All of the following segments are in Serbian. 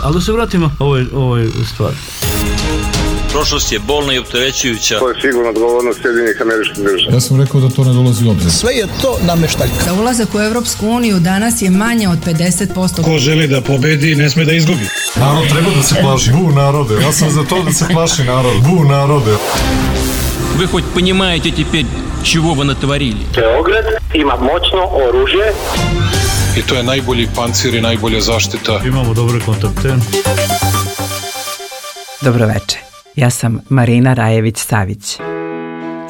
Ali da se vratimo ovoj stvari. Prošlost je bolna i opterećujuća. To je sigurno odgovornost Sjedinjenih Američkih Država. Ja sam rekao da to ne dolazi u obzir. Sve je to nameštaljka. Da ulazak u Evropsku uniju danas je manje od 50%. Ko želi da pobedi, ne sme da izgubi. Narod treba da se plaši. Bu narode. Ja sam za to da se plaši narod. Bu narode. Вы хоть понимаете теперь, чего вы натворили? Beograd ima moćno oružje. I to je najbolji pancir i najbolja zaštita. Imamo dobre kontakte. Dobroveče, ja sam Marina Rajević-Savić.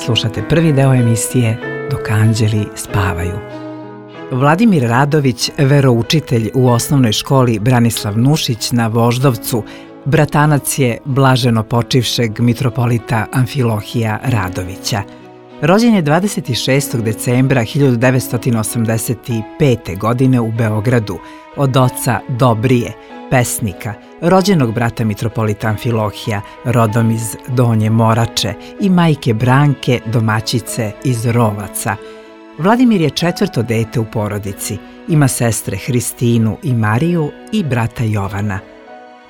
Slušate prvi deo emisije Dok anđeli spavaju. Vladimir Radović, veroučitelj u osnovnoj školi Branislav Nušić na Voždovcu, bratanac je blaženo počivšeg mitropolita Amfilohija Radovića. Rođen je 26. decembra 1985. godine u Beogradu od oca Dobrije, pesnika, rođenog brata mitropolita Amfilohija, rodom iz Donje Morače, i majke Branke, domaćice iz Rovaca. Vladimir je četvrto dete u porodici, ima sestre Hristinu i Mariju i brata Jovana.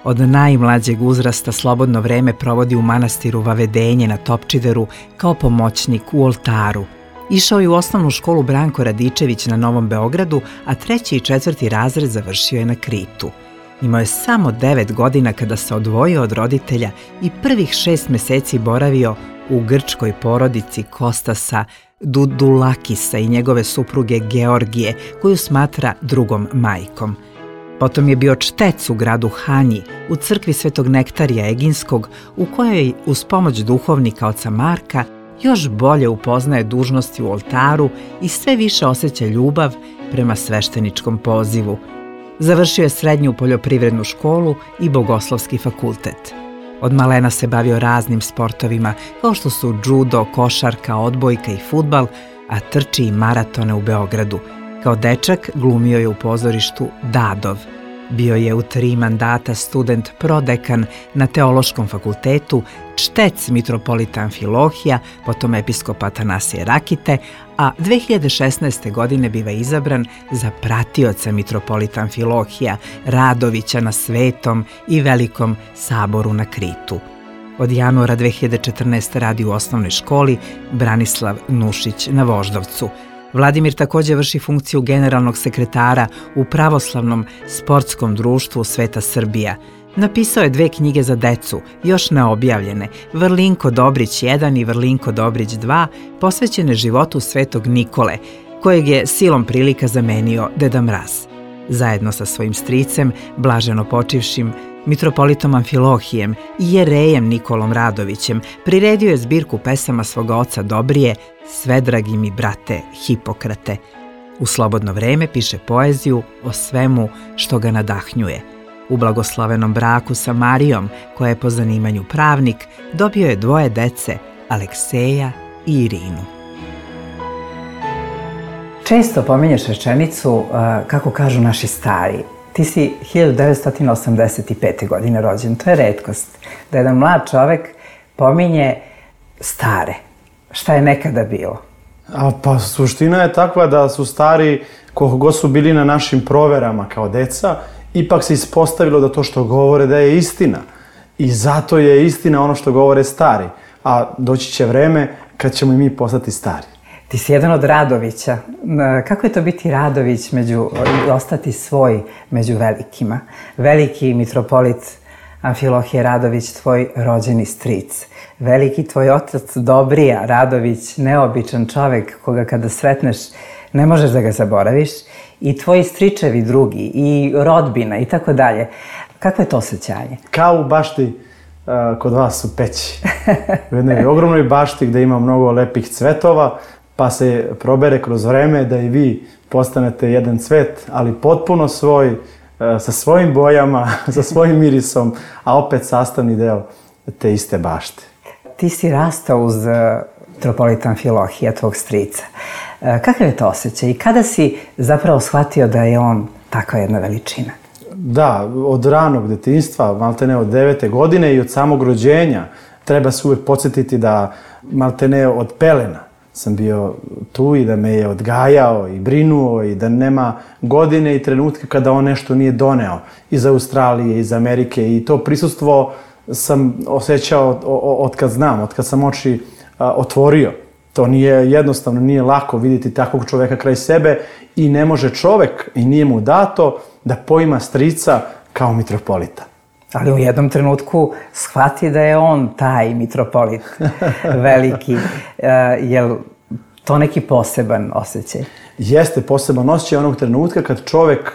Od najmlađeg uzrasta slobodno vreme provodi u manastiru Vavedenje na Topčideru kao pomoćnik u oltaru. Išao je u osnovnu školu Branko Radičević na Novom Beogradu, a 3. i 4. razred završio je na Kritu. Imao je samo 9 godina kada se odvojio od roditelja i prvih 6 meseci boravio u grčkoj porodici Kostasa Dudulakisa i njegove supruge Georgije, koju smatra drugom majkom. Potom je bio čtec u gradu Hanji, u crkvi Svetog Nektarija Eginskog, u kojoj uz pomoć duhovnika oca Marka još bolje upoznaje dužnosti u oltaru i sve više osjeća ljubav prema svešteničkom pozivu. Završio je srednju poljoprivrednu školu i bogoslovski fakultet. Od malena se bavio raznim sportovima, kao što su džudo, košarka, odbojka i fudbal, a trči i maratone u Beogradu. Kao dečak glumio je u pozorištu Dadov. Bio je u 3 mandata student prodekan na Teološkom fakultetu, čtec mitropolita Amfilohija, potom episkopa Atanasije Rakite, a 2016. godine biva izabran za pratioca mitropolita Amfilohija Radovića na Svetom i Velikom saboru na Kritu. Od januara 2014. radi u osnovnoj školi Branislav Nušić na Voždovcu. Vladimir također vrši funkciju generalnog sekretara u Pravoslavnom sportskom društvu Sveta Srbija. Napisao je 2 knjige za decu, još neobjavljene, Vrlinko Dobrić 1 i Vrlinko Dobrić 2, posvećene životu Svetog Nikole, kojeg je silom prilika zamenio Deda Mraz. Zajedno sa svojim stricem, blaženo počivšim mitropolitom Amfilohijem i jerejem Nikolom Radovićem, priredio je zbirku pesama svoga oca Dobrije, Sve dragi mi brate Hipokrate. U slobodno vreme piše poeziju o svemu što ga nadahnjuje. U blagoslovenom braku sa Marijom, koja je po zanimanju pravnik, dobio je 2 dece, Alekseja i Irinu. Često pominješ rečenicu, kako kažu naši stari. Ti si 1985. godine rođen. To je retkost. Da jedan mlad čovek pominje stare. Šta je nekada bilo? Pa suština je takva da su stari, koliko god su bili na našim proverama kao deca, ipak se ispostavilo da to što govore da je istina. I zato je istina ono što govore stari. A doći će vreme kad ćemo i mi postati stari. Ti si jedan od Radovića. Kako je to biti Radović i ostati svoj među velikima? Veliki mitropolit Amfilohije Radović, tvoj rođeni stric. Veliki tvoj otac Dobrija Radović, neobičan čovek koga kada sretneš ne možeš da ga zaboraviš. I tvoji stričevi drugi, i rodbina i tako dalje. Kakvo je to osjećanje? Kao u bašti kod vas u peći. U jednoj ogromnoj bašti gde ima mnogo lepih cvetova, pa se probere kroz vreme da i vi postanete jedan cvet, ali potpuno svoj, sa svojim bojama, sa svojim mirisom, a opet sastavni deo te iste bašte. Ti si rastao uz mitropolita Amfilohija, tvog strica. Kakav je to osjećaj i kada si zapravo shvatio da je on takva jedna veličina? Da, od ranog detinjstva, maltene od 9. godine i od samog rođenja, treba se uvek podsjetiti da maltene od pelena sam bio tu i da me je odgajao i brinuo i da nema godine i trenutka kada on nešto nije doneo iz Australije, iz Amerike i to prisustvo sam osjećao od kad znam, od kad sam oči otvorio. To nije jednostavno, nije lako vidjeti takvog čoveka kraj sebe i ne može čovek i nije mu dato da poima strica kao mitropolita. Ali u jednom trenutku shvati da je on taj mitropolit veliki. Je to neki poseban osjećaj? Jeste poseban osjećaj onog trenutka kad čovek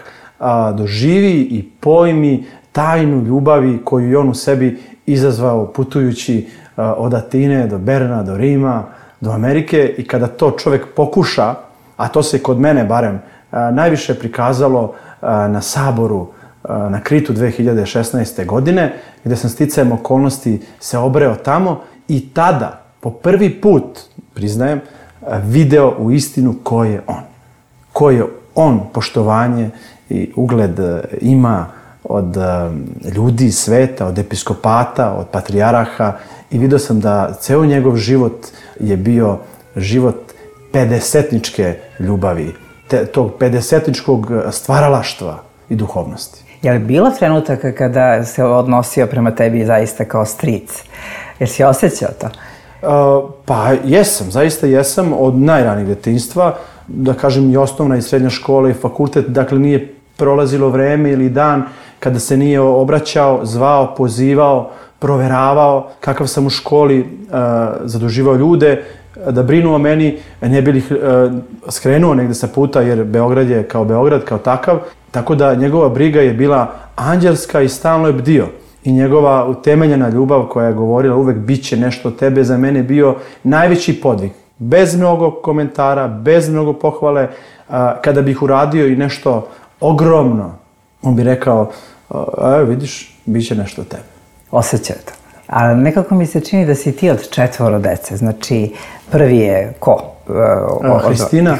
doživi i pojmi tajnu ljubavi koju je on u sebi izazvao putujući od Atine do Berna, do Rima, do Amerike i kada to čovek pokuša, a to se kod mene barem najviše prikazalo na Saboru na Kritu 2016. godine, gde sam sticajem okolnosti se obreo tamo i tada, po prvi put, priznajem, video u istinu ko je on. Koje on poštovanje i ugled ima od ljudi sveta, od episkopata, od patrijaraha i vidio sam da ceo njegov život je bio život pedesetničke ljubavi, tog pedesetničkog stvaralaštva i duhovnosti. Je li bilo trenutaka kada se odnosio prema tebi zaista kao stric? Jer si osjećao to? Pa jesam, zaista jesam, od najranijeg detinjstva, da kažem i osnovna i srednja škola i fakultet, dakle nije prolazilo vreme ili dan kada se nije obraćao, zvao, pozivao, proveravao kakav sam u školi, zaduživao ljude da brinu o meni, ne bi li skrenuo negde sa puta jer Beograd je kao Beograd, kao takav, tako da njegova briga je bila anđelska i stalno je bdio. I njegova utemeljena ljubav koja je govorila uvek bit će nešto od tebe, za mene bio najveći podvig. Bez mnogo komentara, bez mnogo pohvale, kada bih uradio i nešto ogromno, on bi rekao, evo vidiš, bit će nešto od tebe. Osjećao to. Ali nekako mi se čini da si ti od 4 dece. Znači, prvi je ko?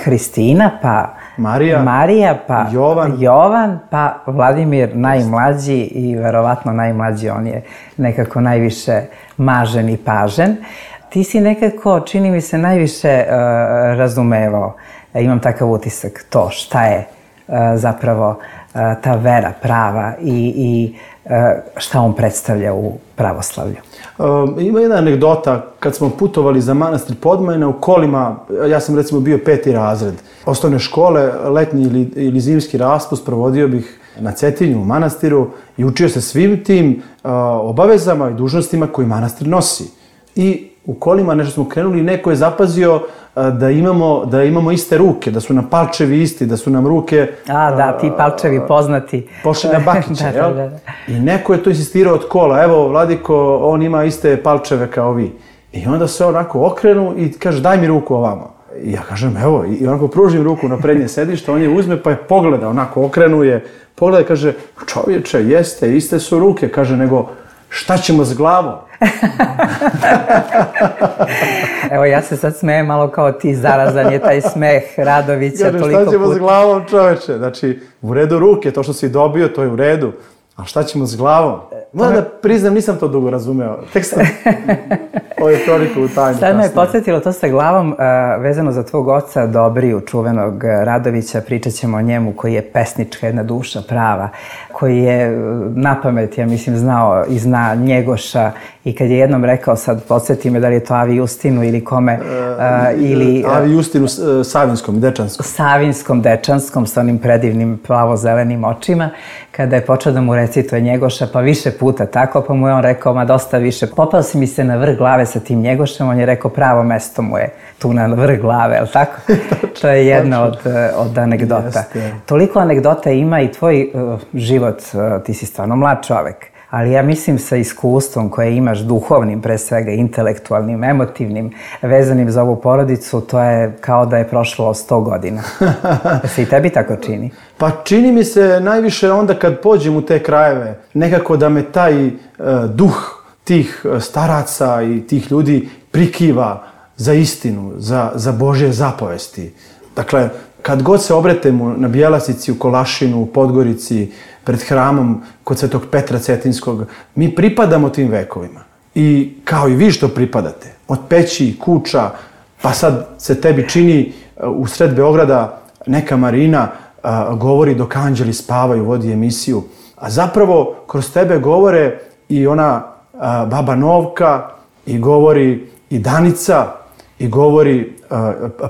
Hristina, pa Marija, pa Jovan, pa Vladimir najmlađi i verovatno najmlađi, on je nekako najviše mažen i pažen. Ti si nekako, čini mi se, najviše razumevao, imam takav utisak, to šta je zapravo ta vera prava i šta on predstavlja u pravoslavlju. Ima jedna anegdota, kad smo putovali za manastir Podmajna u kolima, ja sam recimo bio 5. razred osnovne škole, letnji ili zimski raspust provodio bih na Cetinju u manastiru i učio se svim tim obavezama i dužnostima koji manastir nosi. I u kolima nešto smo krenuli i neko je zapazio da imamo iste ruke, da su nam palčevi isti, da su nam ruke... Da, ti palčevi poznati. Pošli na bakiće, jel? I neko je to insistirao od kola, evo, Vladiko, on ima iste palčeve kao vi. I onda se onako okrenu i kaže, daj mi ruku ovamo. I ja kažem, evo, i onako pružim ruku na prednje sedište, on je uzme pa je pogleda, onako okrenuje, pogleda i kaže, čovječe, jeste, iste su ruke, kaže, nego šta ćemo s glavom? Evo, ja se sad smejem malo kao ti, zarazan je taj smeh Radovića toliko puta. Šta ćemo s glavom, čoveče? Znači, u redu ruke, to što si dobio, to je u redu. A šta ćemo s glavom? Moram da priznam, nisam to dugo razumeo. Tek sam ovu kroniku u tajnu. Sad me je podsjetilo to sa glavom, vezano za tvog oca Dobriju, čuvenog Radovića, pričat ćemo o njemu koji je pesnička jedna duša prava, koji je napamet, ja mislim, znao i zna Njegoša i kad je jednom rekao, sad podsjeti me da li je to Avi Justinu ili kome, ili... Avi Justinu Savinskom, Dečanskom. Savinskom, Dečanskom, sa onim predivnim plavo-zelenim očima, kada je počeo da mu recituje Njegoša, pa više puta tako, pa mu je on rekao, ma dosta više, popao si mi se na vrh glave sa tim Njegošem, on je rekao, pravo mesto mu je tu na vrh glave, ali tako? To je jedna od anegdota. Toliko anegdota ima i tvoj život, ti si stvarno mlad čovek, ali ja mislim sa iskustvom koje imaš duhovnim, pre svega intelektualnim, emotivnim, vezanim za ovu porodicu, to je kao da je prošlo 100 godina. Se i tebi tako čini? Pa čini mi se najviše onda kad pođem u te krajeve, nekako da me taj duh tih staraca i tih ljudi prikiva za istinu, za Božje zapovesti. Dakle, kad god se obretemo na Bjelasici, u Kolašinu, u Podgorici, pred hramom kod Svetog Petra Cetinskog, mi pripadamo tim vekovima. I kao i vi što pripadate, od peći, kuća, Pa sad se tebi čini u sred Beograda neka Marina govori dok anđeli spavaju, vodi emisiju, a zapravo kroz tebe govore i ona baba Novka, i govori i Danica, i govori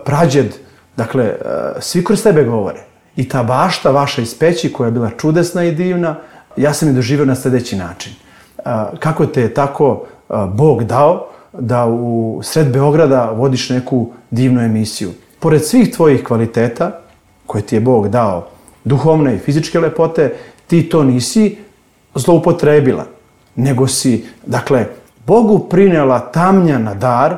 prađed, dakle, svi kroz tebe govore. I ta bašta vaša iz Peći, koja je bila čudesna i divna, ja sam je doživio na sljedeći način. Kako te je tako Bog dao da u sred Beograda vodiš neku divnu emisiju. Pored svih tvojih kvaliteta, koje ti je Bog dao, duhovne i fizičke lepote, ti to nisi zloupotrebila, nego si, dakle, Bogu prinela tamnjana dar,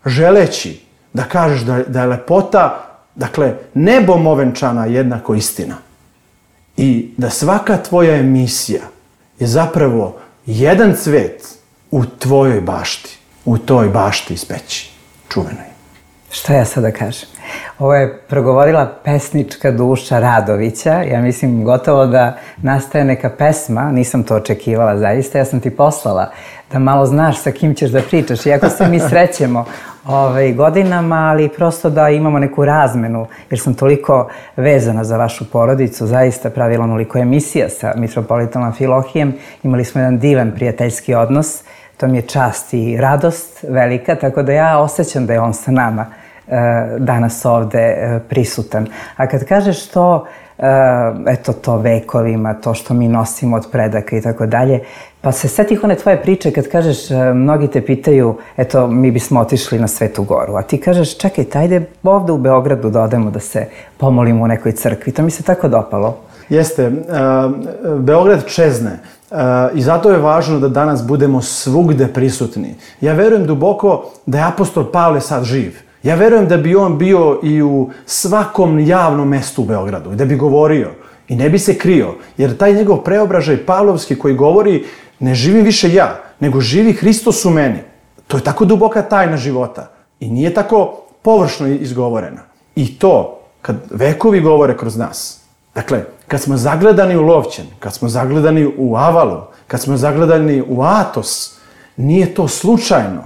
želeći da kažeš da je lepota, dakle, nebom ovenčana jednako istina. I da svaka tvoja emisija je zapravo jedan cvet u tvojoj bašti, u toj bašti iz Peći, čuvenoj. Šta ja sada kažem? Ovo je progovorila pesnička duša Radovića. Ja mislim gotovo da nastaje neka pesma, nisam to očekivala zaista, ja sam ti poslala da malo znaš sa kim ćeš da pričaš. Iako se mi srećemo godinama, ali prosto da imamo neku razmenu, jer sam toliko vezana za vašu porodicu, zaista pravila onoliko emisija sa mitropolitom Amfilohijem. Imali smo jedan divan prijateljski odnos, to mi je čast i radost velika, tako da ja osjećam da je on sa nama danas ovde prisutan. A kad kažeš to, eto to vekovima, to što mi nosimo od predaka i tako dalje, pa se setih one tvoje priče kad kažeš, mnogi te pitaju, eto mi bismo otišli na Svetu Goru, a ti kažeš, čekaj, ajde ovde u Beogradu da odemo da se pomolimo u nekoj crkvi. To mi se tako dopalo. Jeste, Beograd čezne i zato je važno da danas budemo svugde prisutni. Ja verujem duboko da je apostol Pavle sad živ. Ja verujem da bi on bio i u svakom javnom mestu u Beogradu i da bi govorio i ne bi se krio, jer taj njegov preobražaj Pavlovski koji govori ne živim više ja, nego živi Hristos u meni. To je tako duboka tajna života i nije tako površno izgovorena. I to, kad vekovi govore kroz nas, dakle, kad smo zagledani u Lovćen, kad smo zagledani u Avalu, kad smo zagledani u Atos, nije to slučajno.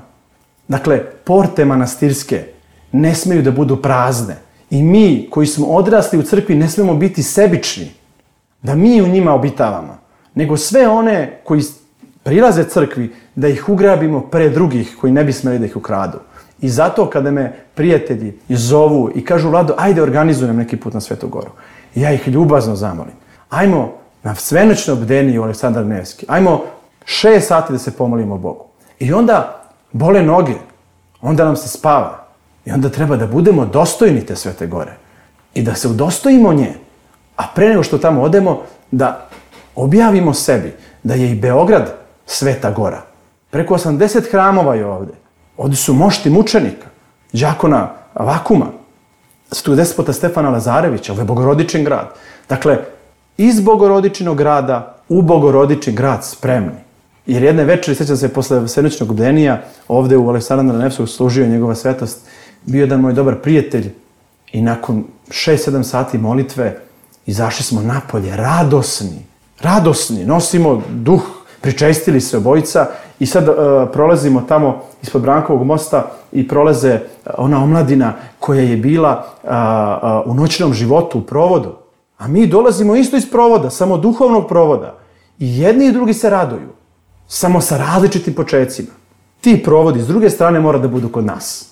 Dakle, porte manastirske ne smeju da budu prazne. I mi koji smo odrasli u crkvi ne smemo biti sebični, da mi u njima obitavamo, nego sve one koji prilaze crkvi, da ih ugrabimo pre drugih koji ne bi smeli da ih ukradu. I zato kada me prijatelji zovu i kažu, Vlado, ajde organizujem neki put na Svetu Goru, ja ih ljubazno zamolim. Ajmo na svenoćno bdenije u Aleksandar Nevski, ajmo 6 sati da se pomolimo Bogu. I onda bole noge, onda nam se spava. I onda treba da budemo dostojni te Svete Gore i da se udostojimo nje. A pre nego što tamo odemo, da objavimo sebi da je i Beograd Sveta Gora. Preko 80 hramova je ovde. Ovde su mošti mučenika, đakona Vakuma, svetog despota Stefana Lazarevića, ovo je Bogorodičin grad. Dakle, iz Bogorodičinog grada u Bogorodičin grad spremni. Jer jedne večeri, sjećam se, posle svenoćnog bdenija, ovde u Aleksandra Nevskog služio njegova svetost, bio jedan moj dobar prijatelj i nakon 6-7 sati molitve izašli smo napolje, radosni, nosimo duh, pričestili se obojica i sad prolazimo tamo ispod Brankovog mosta i prolaze ona omladina koja je bila u noćnom životu, u provodu. A mi dolazimo isto iz provoda, samo duhovnog provoda. I jedni i drugi se raduju, samo sa različitim počecima. Ti provodi s druge strane mora da budu kod nas.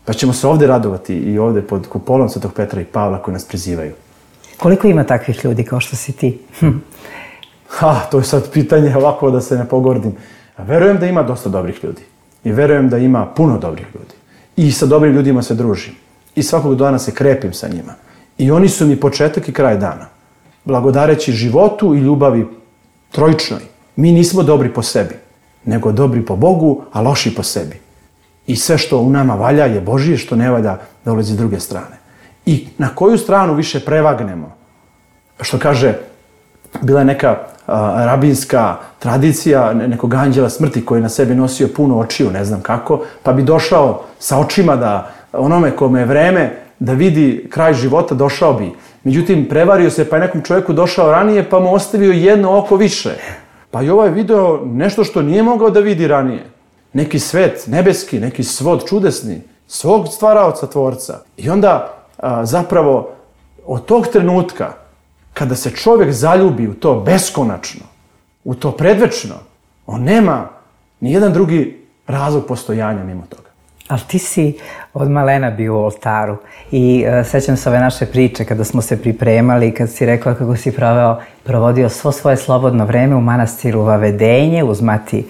Pa ćemo se ovde radovati i ovde pod kupolom Svetog Petra i Pavla koji nas prizivaju. Koliko ima takvih ljudi kao što si ti? To je sad pitanje ovako da se ne pogordim. Verujem da ima dosta dobrih ljudi. I verujem da ima puno dobrih ljudi. I sa dobrim ljudima se družim. I svakog dana se krepim sa njima. I oni su mi početak i kraj dana. Blagodareći životu i ljubavi trojičnoj. Mi nismo dobri po sebi, nego dobri po Bogu, a loši po sebi. I sve što u nama valja je Božije, što ne valja dolazi s druge strane. I na koju stranu više prevagnemo? Što kaže, bila je neka rabinska tradicija nekog anđela smrti koji je na sebi nosio puno očiju, ne znam kako, pa bi došao sa očima da onome kome je vreme da vidi kraj života, došao bi. Međutim, prevario se pa je nekom čovjeku došao ranije pa mu ostavio jedno oko više. Pa i ovaj video nešto što nije mogao da vidi ranije. Neki svet nebeski, neki svod čudesni, svog stvaraoca, tvorca. I onda zapravo od tog trenutka kada se čovjek zaljubi u to beskonačno, u to predvečno, on nema ni jedan drugi razlog postojanja mimo toga. Ali ti si od malena bio u oltaru i sećam se ove naše priče kada smo se pripremali, kad si rekao kako si provodio svo svoje slobodno vreme u manastiru Vavedenje uz Mati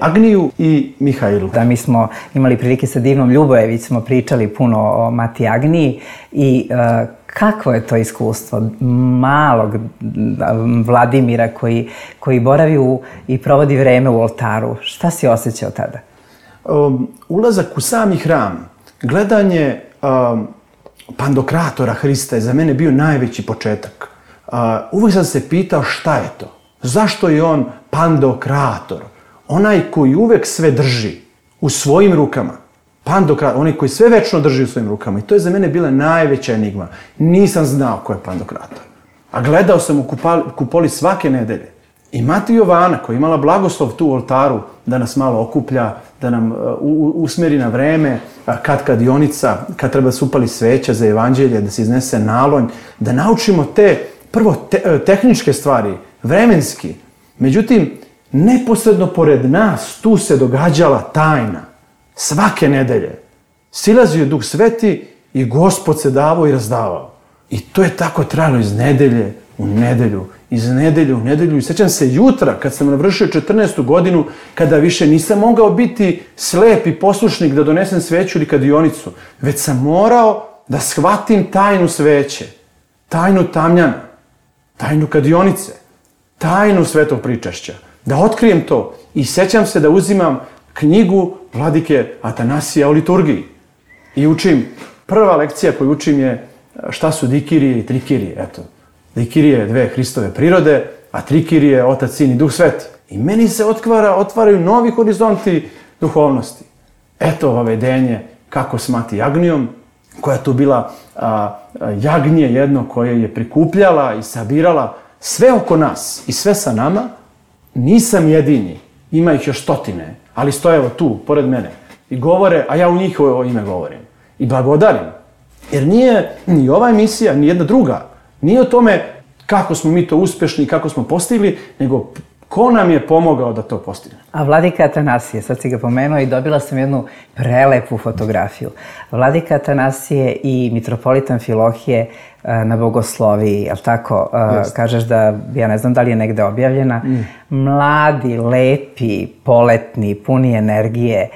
Agniju i Mihajlu. Da, mi smo imali prilike sa divnom Ljubojević, smo pričali puno o Mati Agniji i kakvo je to iskustvo malog Vladimira koji boravi i provodi vreme u oltaru. Šta si osjećao tada? Ulazak u sami hram, gledanje Pandokratora Hrista je za mene bio najveći početak. Uvijek sam se pitao šta je to? Zašto je on Pandokrator? Onaj koji uvijek sve drži u svojim rukama. Pandokrator, onaj koji sve večno drži u svojim rukama. I to je za mene bila najveća enigma. Nisam znao ko je Pandokrator. A gledao sam u kupoli svake nedelje. I Mati Jovana, koja je imala blagoslov tu u oltaru da nas malo okuplja, da nam usmeri na vreme, kad kadionica, kad treba se upali sveća za evanđelje, da se iznese nalonj, da naučimo te, prvo, tehničke stvari, vremenski. Međutim, neposredno pored nas tu se događala tajna. Svake nedelje silazio je Duh Sveti i Gospod se davao i razdavao. I to je tako trajalo iz nedelje u nedelju, iz nedelje u nedelju. I sjećam se jutra, kad sam navršio 14. godinu, kada više nisam mogao biti slep i poslušnik da donesem sveću ili kadionicu, već sam morao da shvatim tajnu sveće, tajnu tamjana, tajnu kadionice, tajnu svetog pričašća, da otkrijem to. I sjećam se da uzimam knjigu vladike Atanasija o liturgiji i učim. Prva lekcija koju učim je šta su dikirije i trikirije. Eto, dikirije je dve Hristove prirode, a trikirije je Otac, Sin i Duh Sveti. I meni se otvaraju novi horizonti duhovnosti. Eto Vavedenje kako s Mati Agnijom, koja je tu bila jagnje jedno koje je prikupljala i sabirala sve oko nas i sve sa nama. Nisam jedini, ima ih još stotine, ali stoje evo tu, pored mene, i govore, a ja u njihovo ime govorim. I blagodarim. Jer nije ni ova emisija, ni jedna druga, nije o tome kako smo mi to uspješni, kako smo postigli, nego ko nam je pomogao da to postigne. A Vladika Atanasije, sad si ga pomenuo i dobila sam jednu prelepu fotografiju. Vladika Atanasije i mitropolita Amfilohije na bogosloviji, jel tako? Kažeš da, ja ne znam da li je negde objavljena. Mladi, lepi, poletni, puni energije.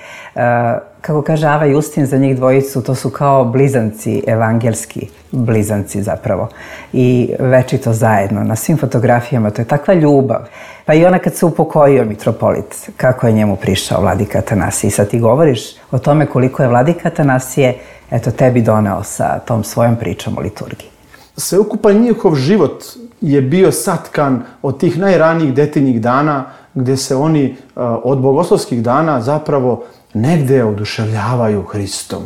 Kako kaže Ava Justin za njih dvojicu, to su kao blizanci, evangelski blizanci zapravo. I večito zajedno, na svim fotografijama, to je takva ljubav. Pa i ona kad se upokojio mitropolit, kako je njemu prišao Vladika Atanasije. I sad ti govoriš o tome koliko je Vladika Atanasije, eto, tebi doneo sa tom svojom pričom o liturgiji. Sveukupan njihov život je bio satkan od tih najranijih detinjih dana, gdje se oni od bogoslovskih dana zapravo negdje oduševljavaju Hristom.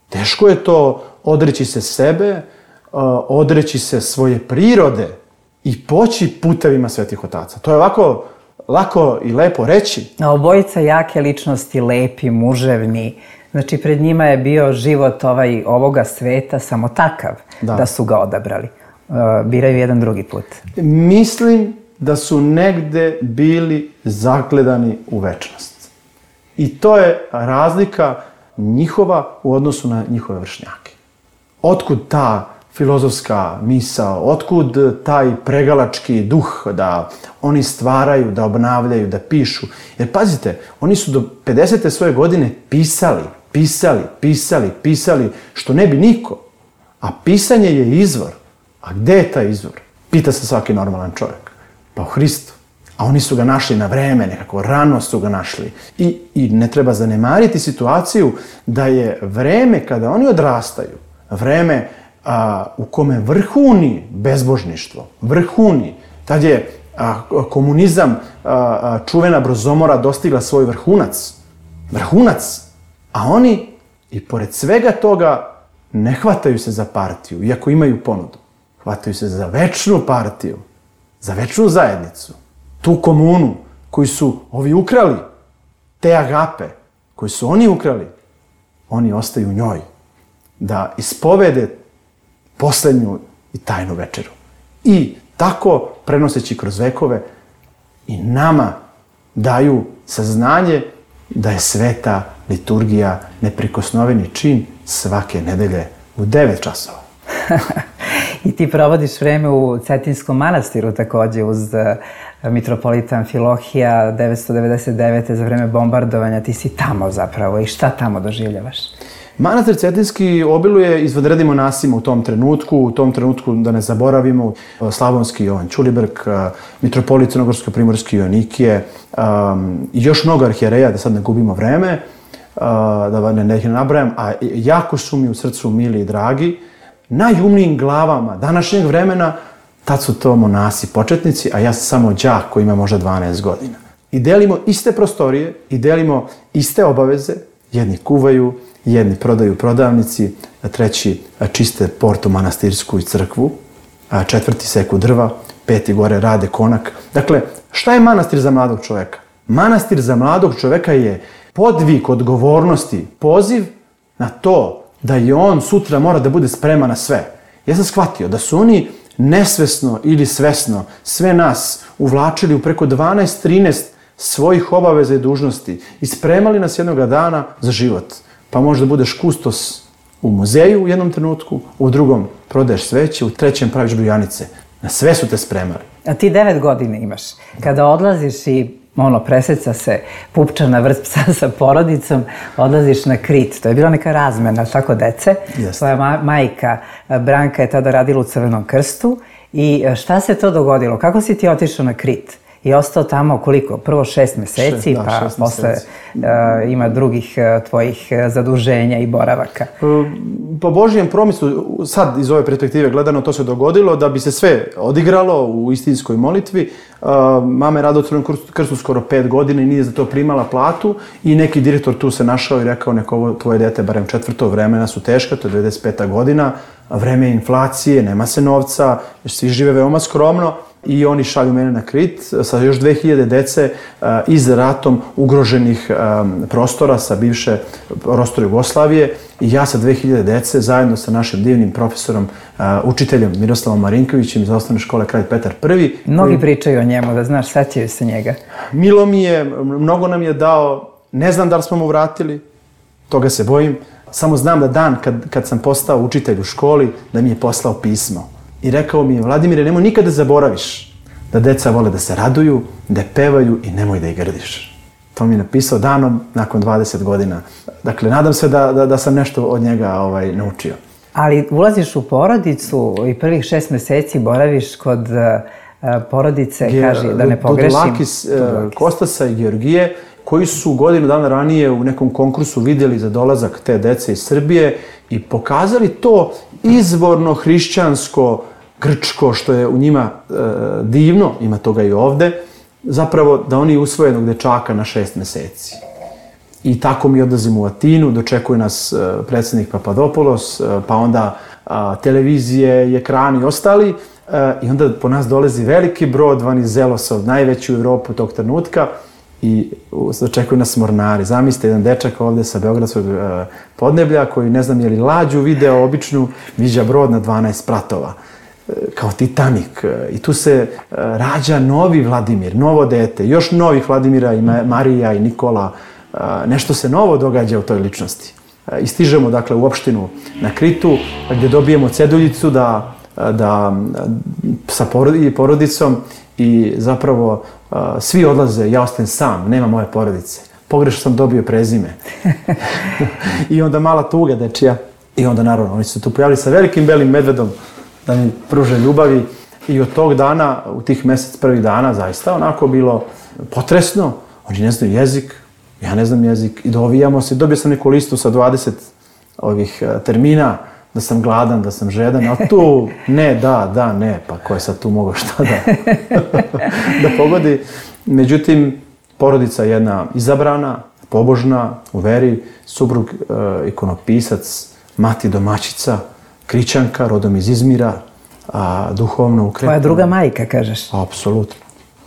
Teško je to odreći se sebe, odreći se svoje prirode i poći putevima svetih otaca. To je ovako lako i lepo reći. A obojica jake ličnosti, lepi, muževni. Znači, pred njima je bio život ovoga sveta samo takav da su ga odabrali. Biraju jedan drugi put. Mislim da su negde bili zagledani u večnost. I to je razlika njihova u odnosu na njihove vršnjake. Otkud ta filozofska misao, otkud taj pregalački duh da oni stvaraju, da obnavljaju, da pišu. Jer pazite, oni su do 50. svoje godine pisali, što ne bi niko. A pisanje je izvor. A gde je taj izvor? Pita se svaki normalan čovjek. Pa u Hristu. A oni su ga našli na vreme, nekako rano su ga našli. I ne treba zanemariti situaciju da je vreme kada oni odrastaju, vreme u kome vrhuni bezbožništvo, vrhuni, tad je komunizam, čuvena Brozomora dostigla svoj vrhunac, a oni i pored svega toga ne hvataju se za partiju, iako imaju ponudu. Hvataju se za večnu partiju, za večnu zajednicu, tu komunu koju su ovi ukrali, te agape, koju su oni ukrali. oni ostaju njoj da ispovede poslednju i tajnu večeru. I tako, prenoseći kroz vekove, i nama daju saznanje da je sveta liturgija neprikosnoveni čin svake nedelje u 9 časova. I ti provodiš vreme u Cetinskom manastiru takođe uz mitropolita Amfilohija 999. za vreme bombardovanja. Ti si tamo zapravo i šta tamo doživljavaš? Manastir Cetinski obiluje izvanrednim monasima u tom trenutku da ne zaboravimo Slavonski Jovan Ćulibrk, mitropolit Crnogorsko-primorski Joanikije i još mnogo arhijereja, da sad ne gubimo vreme, da ne ih nabrajam, a jako su mi u srcu mili i dragi. Najumnijim glavama današnjeg vremena, tad su to monasi početnici, a ja sam samo đak koji ima možda 12 godina. I delimo iste prostorije, i delimo iste obaveze, jedni kuvaju, jedni prodaju prodavnici, treći čiste portu manastirsku i crkvu, četvrti seku drva, peti gore rade konak. Dakle, šta je manastir za mladog čoveka? Manastir za mladog čoveka je podvig odgovornosti, poziv na to da i on sutra mora da bude spreman na sve. Ja sam shvatio da su oni nesvesno ili svesno sve nas uvlačili u preko 12-13 svojih obaveza i dužnosti i spremali nas jednoga dana za život. Pa možda budeš kustos u muzeju u jednom trenutku, u drugom prodaješ sveće, u trećem praviš brujanice. Na sve su te spremali. A ti 9 godina imaš. Kada odlaziš i preseca se pupčana vrst psa sa porodicom, odlaziš na Krit. To je bila neka razmena, tako dece. Tvoja majka Branka je tada radila u Crvenom krstu. I šta se to dogodilo? Kako si ti otišao na Krit? I ostao tamo koliko? Prvo 6 meseci, pa posle ima drugih tvojih zaduženja i boravaka. Po Božijem promislu, sad iz ove perspektive gledano, to se dogodilo da bi se sve odigralo u istinskoj molitvi. Mama je radila u Crvenom krstu skoro 5 godina i nije za to primala platu i neki direktor tu se našao i rekao neko ovo tvoje dete, barem 4. vremena su teška, to je 95. godina, vreme inflacije, nema se novca, svi žive veoma skromno. I oni šalju mene na Krit sa još 2000 dece iz ratom ugroženih prostora sa bivše prostora Jugoslavije i ja sa 2000 dece zajedno sa našim divnim profesorom, učiteljem Miroslavom Marinkovićem iz osnovne škole Kralj Petar I. Mnogi pričaju o njemu, da znaš, sećaju se njega. Milo mi je, mnogo nam je dao, ne znam da li smo mu vratili, toga se bojim, samo znam da dan kad sam postao učitelj u školi, da mi je poslao pismo. I rekao mi je, Vladimire, nemoj nikada zaboraviš da deca vole da se raduju, da pevaju i nemoj da ih grdiš. To mi je napisao danom nakon 20 godina. Dakle, nadam se da sam nešto od njega naučio. Ali ulaziš u porodicu i prvih 6 meseci boraviš kod porodice, kaži, da ne pogrešim. Dudulakis, Kostasa i Georgije, koji su godinu dana ranije u nekom konkursu vidjeli za dolazak te dece iz Srbije i pokazali to izvorno hrišćansko, grčko, što je u njima divno, ima toga i ovde, zapravo da oni usvoje jednog dečaka na 6 meseci. I tako mi odlazimo u Atinu, dočekuje nas predsjednik Papadopoulos, pa onda televizije i ekrani i ostali, i onda po nas dolazi veliki brod Vanizelosov, najveći u Evropu tog trenutka, i dočekuju nas mornari. Zamislite, jedan dečak ovde sa Beogradskog podneblja koji ne znam je li lađu video običnu, viđa brod na 12 spratova, kao Titanik. I tu se rađa novi Vladimir, novo dete, još novih Vladimira i Marija i Nikola. Nešto se novo događa u toj ličnosti. I stižemo, dakle, u opštinu na Kritu, gdje dobijemo ceduljicu sa porodicom i zapravo svi odlaze, ja ostajem sam, nema moje porodice. Pogrešno sam dobio prezime. I onda mala tuga dečija. I onda, naravno, oni su se tu pojavili sa velikim belim medvedom da mi pruže ljubavi. I od tog dana, u tih prvih dana, zaista onako bilo potresno. Oni ne znaju jezik, ja ne znam jezik. I dovijamo se. Dobio sam neku listu sa 20 ovih termina, da sam gladan, da sam žedan, a tu ne, da, ne, pa ko je sad tu mogao šta da pogodi. Međutim, porodica jedna izabrana, pobožna, u veri, suprug ikonopisac, mati domaćica, Krićanka, rodom iz Izmira, duhovno ukretna. Tvoja druga majka, kažeš?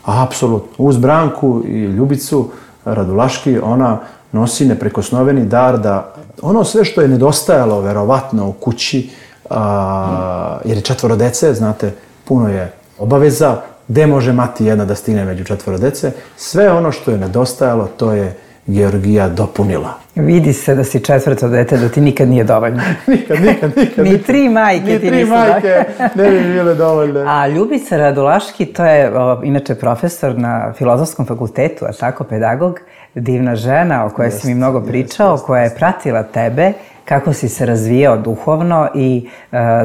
Apsolutno. Uz Branku i Ljubicu Radulaški, ona nosi neprikosnoveni dar da ono sve što je nedostajalo verovatno u kući, jer je 4 dece, znate, puno je obaveza, gde može mati jedna da stigne među 4 dece, sve ono što je nedostajalo, to je Georgija dopunila. Vidi se da si 4. dete, da ti nikad nije dovoljno. Nikad. Ni 3 majke ti nisu. Ni 3 majke ne bi bile dovoljne. A Ljubica Radulaški, to je inače profesor na Filozofskom fakultetu, a tako pedagog, divna žena o kojoj si mi mnogo pričao, koja je pratila tebe, kako si se razvijao duhovno i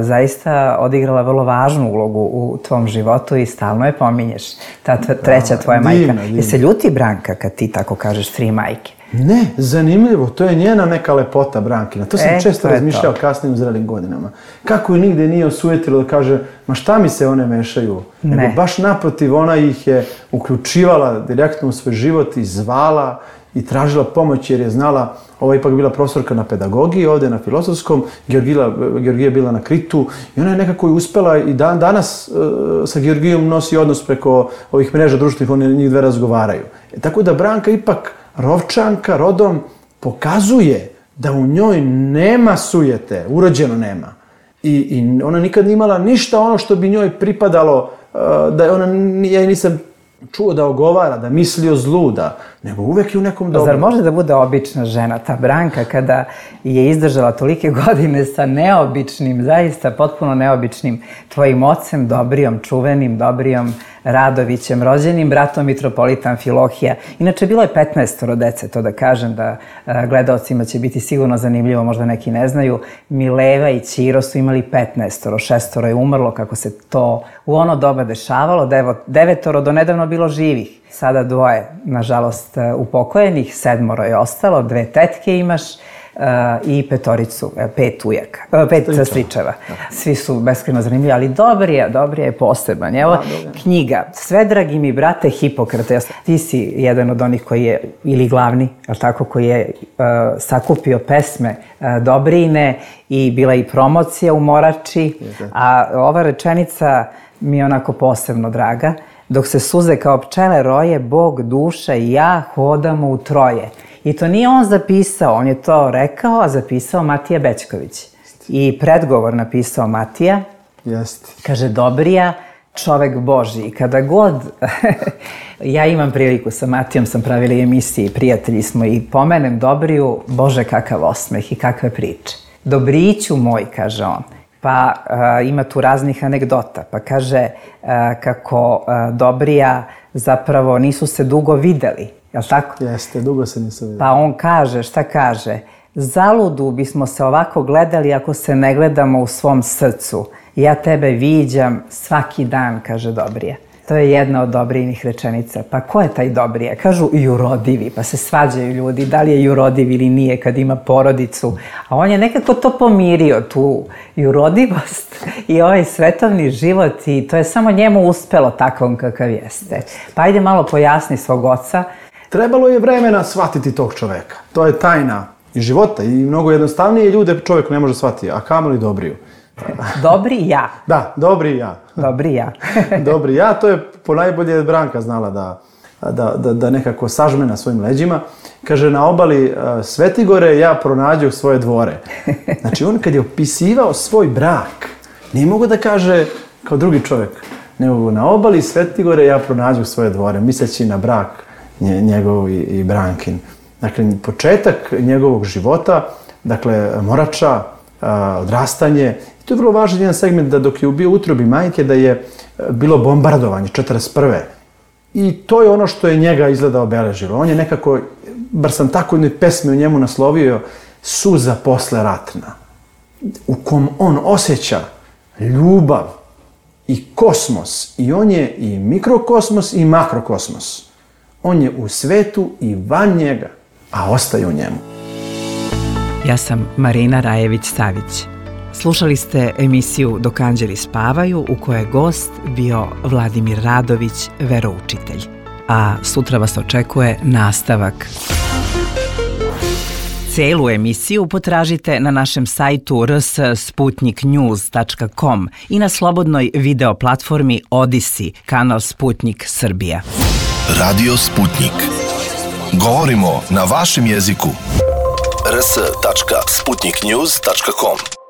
zaista odigrala vrlo važnu ulogu u tvom životu i stalno je pominješ. Ta treća tvoja majka. Je se ljuti Branka kad ti tako kažeš 3 majke? Ne, zanimljivo, to je njena neka lepota Brankina. To sam često razmišljao kasnije u zrelim godinama. Kako je nigde nije osujetilo da kaže, ma šta mi se one mešaju? Nego baš naprotiv, ona ih je uključivala direktno u svoj život i zvala i tražila pomoć jer je znala, ova ipak bila profesorka na pedagogiji, ovde na filozofskom, Georgija je bila na Kritu i ona je nekako i uspela i danas sa Georgijom nosi odnos preko ovih mreža društvenih, oni njih dve razgovaraju. Tako da Branka ipak Rovčanka rodom pokazuje da u njoj nema sujete, urođeno nema. I ona nikad nije imala ništa ono što bi njoj pripadalo, da ona, ja nisam čuo da ogovara, da misli o zlu, nego uvek je u nekom dobru. Zar može da bude obična žena, ta Branka, kada je izdržala tolike godine sa neobičnim, zaista potpuno neobičnim tvojim ocem, Dobrijom, čuvenim Dobrijom Radovićem, rođenim bratom mitropolita Amfilohija. Inače, bilo je 15 dece, to da kažem, da gledaocima će biti sigurno zanimljivo, možda neki ne znaju. Mileva i Ćiro su imali 15, 6 je umrlo, kako se to u ono doba dešavalo, 9 do nedavno bilo živih. Sada 2, nažalost, upokojenih, 7 je ostalo, 2 tetke imaš i 5 ujaka, 5 stričeva. Svi su beskrajno zanimljivi, ali Dobrija je poseban. Evo knjiga, Sve dragi mi brate Hipokrate. Ti si jedan od onih koji je, ili glavni, ali tako, koji je sakupio pesme Dobrijine i bila i promocija u Morači, a ova rečenica mi je onako posebno draga. Dok se suze kao pčele roje, Bog, duša i ja hodamo u troje. I to nije on zapisao, on je to rekao, a zapisao Matija Bećković. I predgovor napisao Matija. Kaže, Dobrija, čovek Božji. I kada god, ja imam priliku sa Matijom, sam pravili emisije i prijatelji smo i pomenem Dobriju, Bože kakav osmeh i kakve priče. Dobriću moj, kaže on. Pa ima tu raznih anegdota, pa kaže kako Dobrija zapravo nisu se dugo videli, jel' tako? Jeste, dugo se nisu videli. Pa on kaže, šta kaže? Zaludu bismo se ovako gledali ako se ne gledamo u svom srcu. Ja tebe viđam svaki dan, kaže Dobrija. To je jedna od Dobrijinih rečenica. Pa ko je taj Dobrija? Kažu jurodivi, pa se svađaju ljudi da li je jurodiv ili nije kad ima porodicu. A on je nekako to pomirio, tu jurodivost i ovaj svetovni život i to je samo njemu uspelo takvom kakav jeste. Pa ajde malo pojasni svog oca. Trebalo je vremena shvatiti tog čoveka. To je tajna i života i mnogo jednostavnije ljude čovjek ne može shvatiti, a kamoli Dobriju. Dobri ja. Da, Dobri ja. Dobri ja. Dobri ja, to je ponajbolje Branka znala da nekako sažme na svojim leđima. Kaže, na obali Svetigore ja pronađu svoje dvore. Znači, on kad je opisivao svoj brak, nije mogo da kaže kao drugi čovjek, nego na obali Svetigore ja pronađu svoje dvore, misleći na brak njegov i Brankin. Dakle, početak njegovog života, dakle, Morača, odrastanje. I to je vrlo važan jedan segment da dok je bio u utrobi majke da je bilo bombardovanje 1941. I to je ono što je njega izgleda obeležilo. On je nekako, bar sam tako jednoj pesmi u njemu naslovio, suza posle ratna, u kom on osjeća ljubav i kosmos. I on je i mikrokosmos i makrokosmos. On je u svetu i van njega, a ostaje u njemu. Ja sam Marina Rajević-Savić. Slušali ste emisiju Dok anđeli spavaju u kojoj je gost bio Vladimir Radović, veroučitelj. A sutra vas očekuje nastavak. Celu emisiju potražite na našem sajtu rs.sputniknews.com i na slobodnoj video platformi Odisi, kanal Sputnik Srbija. Radio Sputnik. Govorimo na vašem jeziku. rs.sputniknews.com